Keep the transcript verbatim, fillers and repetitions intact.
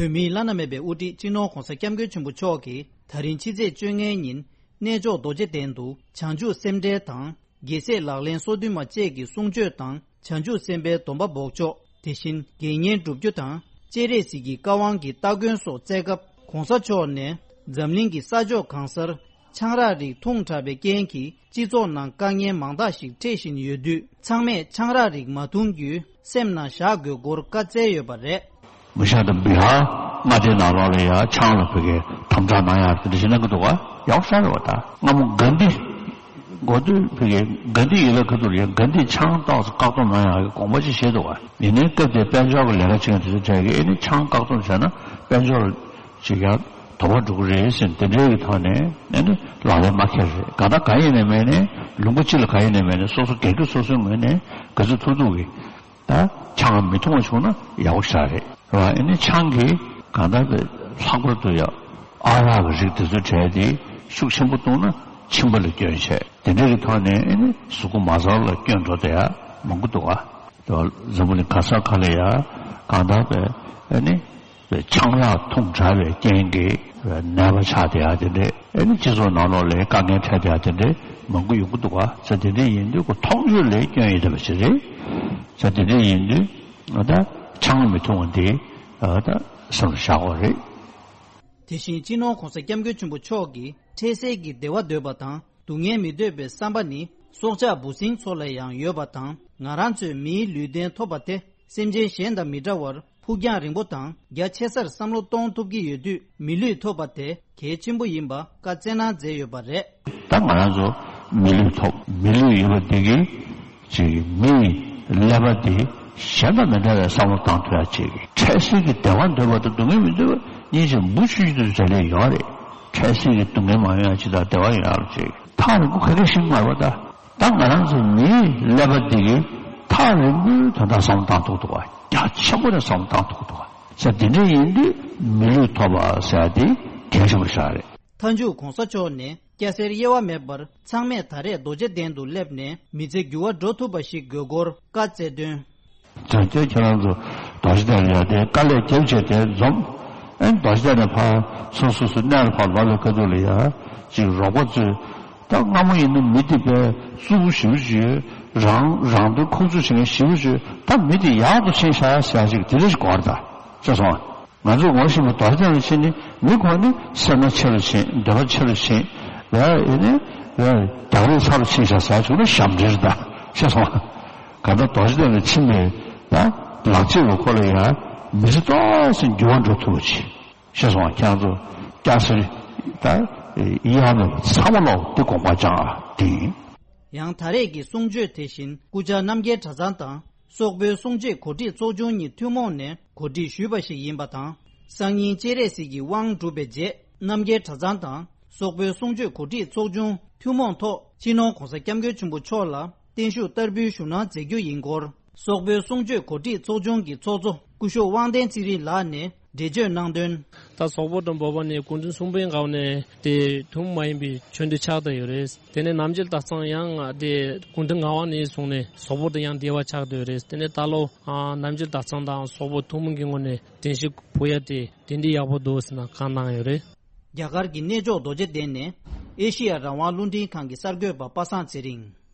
བོད་མིའི་བླ་ན་མེད་པའི་དབུ་ཁྲིད་སྤྱི་ནོར་༧གོང་ས་༧སྐྱབས་མགོན་ཆེན་པོ་མཆོག་གིས་ད་རིང་ཕྱི་ཚེས་བཅོ་ལྔའི་ཉིན་གནས་མཆོག་རྡོ་རྗེ་གདན་དུ་བྱང་ཆུབ་སེམས་འགྲེལ་དང་། རྒྱལ་སྲས་ལག་ལེན་སོ་བདུན་མ་བཅས་ཀྱི་གསུང་ཆོས་དང་། བྱང་ཆུབ་སེམས་དཔའི་སྡོམ་པ་འབོགས་ཆོག་དེ་བཞིན་དགེ་བསྙེན་བསྒྲུབ་རྒྱུ་དང་། སྤྱན་རས་གཟིགས་ཀྱི་བཀའ་དབང་གི་སྟ་གོན་སོགས་བསྩལ་སྐབས། ༧གོང་ས་མཆོག་ནས་འཛམ་གླིང་གི་ས་ཕྱོགས་གང་སར་ཆང་རག་རིགས་འཐུང་དྲགས་པའི་རྐྱེན་གྱིས་སྤྱི་ཚོགས་ནང་དཀའ་ངལ་མང་དག་ཞིག་འཕྲད་བཞིན་ཡོད་དུས། ཚང་མས་ཆང་རག་རིགས་མ་འཐུང་རྒྱུའི་སེམས་ནང་བཞག་དགོས་སྐོར་བཀའ་སྩལ་ཡོད་པ་རེད། མི་ཤ་དང་བི་ཧར་མངའ་སྡེའི་ནང་ལོགས་ལ་ཡང་ཆང་ལ་བོད་སྐད་དམ་དྲག་གནང་ཡག་དེ་འདྲ་ཞིག་གནང་གི་འདུག་ག་ཡག་ཤོས་རེད་བ། ད་སྔ་མོ་གྷན་དྷི་འགོ་སྟོད་བོད་སྐད་གྷན་དྷི་ཡིན་ལ་ག་ཚོད་ལ་ཡང་གྷན་དྷི་ཆང་ཏོག་ཙམ་བཀག་སྡོམ་གནང་ཡག་གི་དགོངས་པ་ཅིག་བཞེས་འདུག་ག་ཡིན་ནའི་སྐབས་དེའི་དཔལ་འབྱོར་གྱི་ལས་ཀ་བྱེད་མཁན་དེ་ཚོ་གྲས་ཀྱིས་ཨེ་ནི་ཆང་བཀག་སྡོམ་བྱས་ན་དཔལ་འབྱོར་ཅིག་ཡང་དོ་ཕོག་འགྲོ་གི་རེད་ཟེར་དེ་འདྲའི་གི་ཐོག་ནས་ཨེ་ནི་ལག་ལེན་མ་འཁེལ་རེད། གང་ལྟར་གང་ཡིན་ནའི་མེད་ནའི་ལུང་པ་གཅིག་ལ་གང་ཡིན་ནའི་མེད་ནའི་སོ་སོ་སྒེར་གྱི་སོ་སོའི་ངོས་ནས་ག་ཚོད་ཐུབ་ཐུབ་གི་ད་ཆང་མི་འཐུང་བ་བྱུང་ན་ཡག་པོ་ཞེ་དྲག་རེད་བ། ཨེ་ནི་ཆང་གིས་གང་ལྟར་དེ་ལྷག་པར་དུ་ཡང་ཨ་རག་གི་རིགས་དེ་ཚོའི་གྲས་དེ་ཤུགས་ཆེན་པོ་བཏུང་ན་མཆིན་པ་ལ་སྐྱོན་བྱས། དེ་འདྲ་གི་ཐོག་ནས་ཨེ་ནི་གཟུགས་པོ་མ་རྩ་ལ་སྐྱོན་འགྲོ་བསྡད་ཡ་མང་པོ་འདུག་ག་དེ་བ་འཛམ་བུ་གླིང་ག་ས་ག་ལ་ཡ་གང་ལྟར་དེ་ཨེ་ནི་ཆང་རག་འཐུང་དྲགས་པའི་རྐྱེན་གྱིས་ནད་པ་ཆགས་བསྡད་ཡ་དེ་འདྲས། ཨེ་ནི་སྤྱི་ཚོགས་ནང་ལོགས་ལ་དཀའ་ངལ་འཕྲད་བསྡད་ཡ་དེ་འདྲས་མང་པོ་ཡོང་གི་འདུག་ག་ས་དེ་འདྲས་ཡིན་དུས་ཁོ་མཐོང་ཆོས་ལ་སྐྱོན་ཡོད་བསྡད་པ་ཞིག་རེད། ས་དེ་འདྲས་ཡིན་དུས་ད་ཆང་མི་འཐུང་བ་འདི་ད་སེམས་ལ་བཞག་དགོས་རེད། དེ་བཞིན་སྤྱི་ནོར་༧གོང་ས་༧སྐྱབས་མགོན་ཆེན་པོ་མཆོག་གིས་འཕྲལ་སེལ་གྱི་བདེ་བ་འདོད་པ་དང་། སྡུག་བསྔལ་མི་འདོད་པའི་བསམ་པ་ནི་སྲོག་ཆགས་འབུ་སྲིན་ཚོ་ལ་ཡང་ཡོད་པ་དང་། ང་རང་ཚོས་མིའི་ལུས་རྟེན་ཐོབ་པ་དེ་སེམས་ཅན་གཞན་དང་མི་འདྲ་བར་ཕུགས་རྒྱང་རིང་པོ་དང་རྒྱ་ཆེ་སར་བསམ་བློ་གཏོང་ཐུབ་ཀྱི་ཡོད་དུས། མི་ལུས་ཐོབ་པ་དེ་གལ་ཆེན་པོ་ཡིན་པ་བཀའ་སྩལ་གནང་མཛད་ཡོད་པ་རེད། ད་ང་རང་ཚོ་མི་ལུས་ཐོབ། མི་ལུས་ཡོད་པ་འདི་གིས་ཅིག་མིའི་ཀླད་པ་འདི་གཞན་དང་མི་འདྲ་བའི་བསམ་བློ་བཏང་ཐུབ་ཡ་ཅིག་འཕྲལ་སེལ་གྱི་བདེ་བ་འདོད་པ་དང་སྡུག་བསྔལ་མི་འདོད་པ་གཉིས་ཀྱི་འབུ་ཆུ་ཆུ་དུ་བྱ་ལས་ཡོད་རེད། འཕྲལ་སེལ་གྱི་སྡུག་བསྔལ་མ་ཡོང་ཡ་ཅིག་དང་བདེ་བ་ཡོང་ཡ་ལ་ཅིག་ཐག་རིང་པོ་ག་གེ་ཞིག་མ་རེད་པ། ད་ད་ང་རང་ཚོ་མིའི་ཀླད་པ་འདི་གིས་ཐག་རིང་པོའི་དོན་དག་བསམ་བློ་བཏང་ཐུབ་འདུག་བ། རྒྱ་ཆེན་པོ་ནས་བསམ་བློ་བཏང་ཐུབ་འདུག་བ། ས་དེ་འདྲ་ཡིན་དུས་མི་ལུས་ཐོབ་པ་ཟེར་ཡ་དེ་གལ་ཆེན་པོ་ཞིག་རེད། མཐའ་མཇུག་༧གོང་ས་མཆོག་ནས་སྐྱ་སེར་དབྱེ་བ་མེད་པར་ཚང་མས་ད་རེས་རྡོ་རྗེ་གདན་དུ་སླེབས་ནས་མི་ཚེ་འགྱུར་བ་འགྲོ་ཐུབ་པ་ཞིག་དགོས་སྐོར་བཀའ་སྩལ་དོན། དོན་དེ་ཁྱེད་རང་ཚོ་རྡོ་རྗེ་གདན་ལ་ཡར་དེ་དཀའ་ལས་རྒྱབ་བྱས་དེ་འཛོམས། ཨེ་རྡོ་རྗེ་གདན་ནས་ཕར་སོ་སོ་སོ་གནས་ལ་ཕར་ལོག་པའི་ཁ་ཐུག་ལ་ཡ་ཅིག་རོགས་པ་ཚོས་ད་སྔ་མོ་ཡིན་ན་མི་དེ་དཔེ་རྩུབ་པོ་ཞེ་པོ་ཅིག་ཡོད། རང་རང་དོན་ཁུར་ཚོད་བྱེད་མཁན་ཞེ་པོ་ཅིག་ཡོད། ད་མི་དེ་ཡག་ཏུ་ཕྱིན་ཤག་ཟེར་ཡ་ཅིག་དེ་འདྲ་ཞིག་གོ་བ་རེད་ད། ཤེས་སོང་ང་། ང་ཚོས་ངོ་ཤེས་པ་རྡོ་རྗེ་གདན་ལ་ཕྱིན་ནས་མི་ཁོ་ནི་སེར་སྣ་ཆེ་རུ་ཕྱིན། འདོད་པ་ཆེ་རུ་ཕྱིན། ལས་ཡིན་ནི་ལས་རྒྱག་རེས་ཚ་རུ་ཕྱིན་ཤག་ཟེར་བྱུང་ན་ཞབས་འདྲེན་རེད་ད། ཤེས་སོང་ང་། གང་ལྟར་རྡོ་རྗེ་གདན་ལ་ཕྱིན་པའི་ད་ལག་རྗེས་ལ་ཁོ་ལ་ཡང་མི་ཚེ་ཏོག་ཙམ་འགྱུར་བ་འགྲོ་ཐུབ་པ་ཅིག་ཤེས་སོང་ང་། ཁྱེད་རང་ཚོ་སྐྱ་སེར་ད་ཡ་མེད་པ་ཚང་མ་ལོག་འདི་དགོངས་པ་བཅངས་ཨ་དེ་ཡིན། ཡང་ད་རེས་ཀྱི་གསུང་ཆོས་དེ་བཞིན་སྐུ་བཅར་རྣམ་རྒྱལ་གྲྭ་ཚང་དང་། སོག་པོའི་གསུང་ཆོས་གོ་སྒྲིག་ཚོགས་ཆུང་གཉིས་ཐུན་མོང་ནས་གོ་སྒྲིག་ཞུས་པ་ཞིག་ཡིན་པ་དང་། སང་ཉིན་སྤྱན་རས་གཟིགས་ཀྱི་དབང་གྲུབ་པའི་རྗེས། རྣམ་རྒྱལ་གྲྭ་ཚང་དང་སོག་པོའི་གསུང་ཆོས་གོ་སྒྲིག་ཚོགས་ཆུང་ཐུན་མོང་ཐོག་སྤྱི་ནོར་༧གོང་ས་༧སྐྱབས་མགོན་ཆེན་པོ་མཆོག་ལ་བརྟན་བཞུགས་བསྟར་འབུལ་ཞུ་གནང་མཛད་རྒྱུ་ཡིན་སྐོར། སོག་པོའི་གསུང་ཆོས་གོ་སྒྲིག་ཚོགས་ཆུང་གི་ཚོགས་གཙོ་སྐུ་ཞབས་དབང་ལྡན་ཚེ་རིང་ལགས་ནས་འགྲེལ་བརྗོད་གནང་དོན། ད་སོག་པོ་དང་བོད་པ་ནས་སྐུ་ཕྲེང་གསུམ་པའི་སྒང་ནས་དེ་ཐུན་མོང་མ་ཡིན་པའི་ཆོས་འབྲེལ་ཆགས་བསྡད་ཡོད་རེད། དེ་ནས་རྣམ་རྒྱལ་གྲྭ་ཚང་ཡང་དེ་སྐུ་ཕྲེང་ལྔ་པ་ནས་བཟུང་ནས་སོག་པོ་དང་ཡང་འབྲེལ་བ་ཆགས་བསྡད་ཡོད་རེད། དེ་ནས་ད་ལོ་ཨ་རྣམ་རྒྱལ་གྲྭ་ཚང་དང་སོག་པོ་ཐུན་མོང་གི་ངོས་ནས་རྟེན་གཞི་ཕུལ་ཡ་དེ་དེ་འདྲའི་ཡག་པོ་འདུག་ཟེར་ནས་བཀའ་གནང་ཡོད་རེད། རྒྱ་གར་གྱི་གནས་མཆོག་རྡོ་རྗེ་གདན་ནས་ཨེ་ཤེ་ཡ་རང་དབང་རླུང་འཕྲིན་ཁང་གི་གསར་འགོད་པ་པ་སངས་ཚེ་རིང་།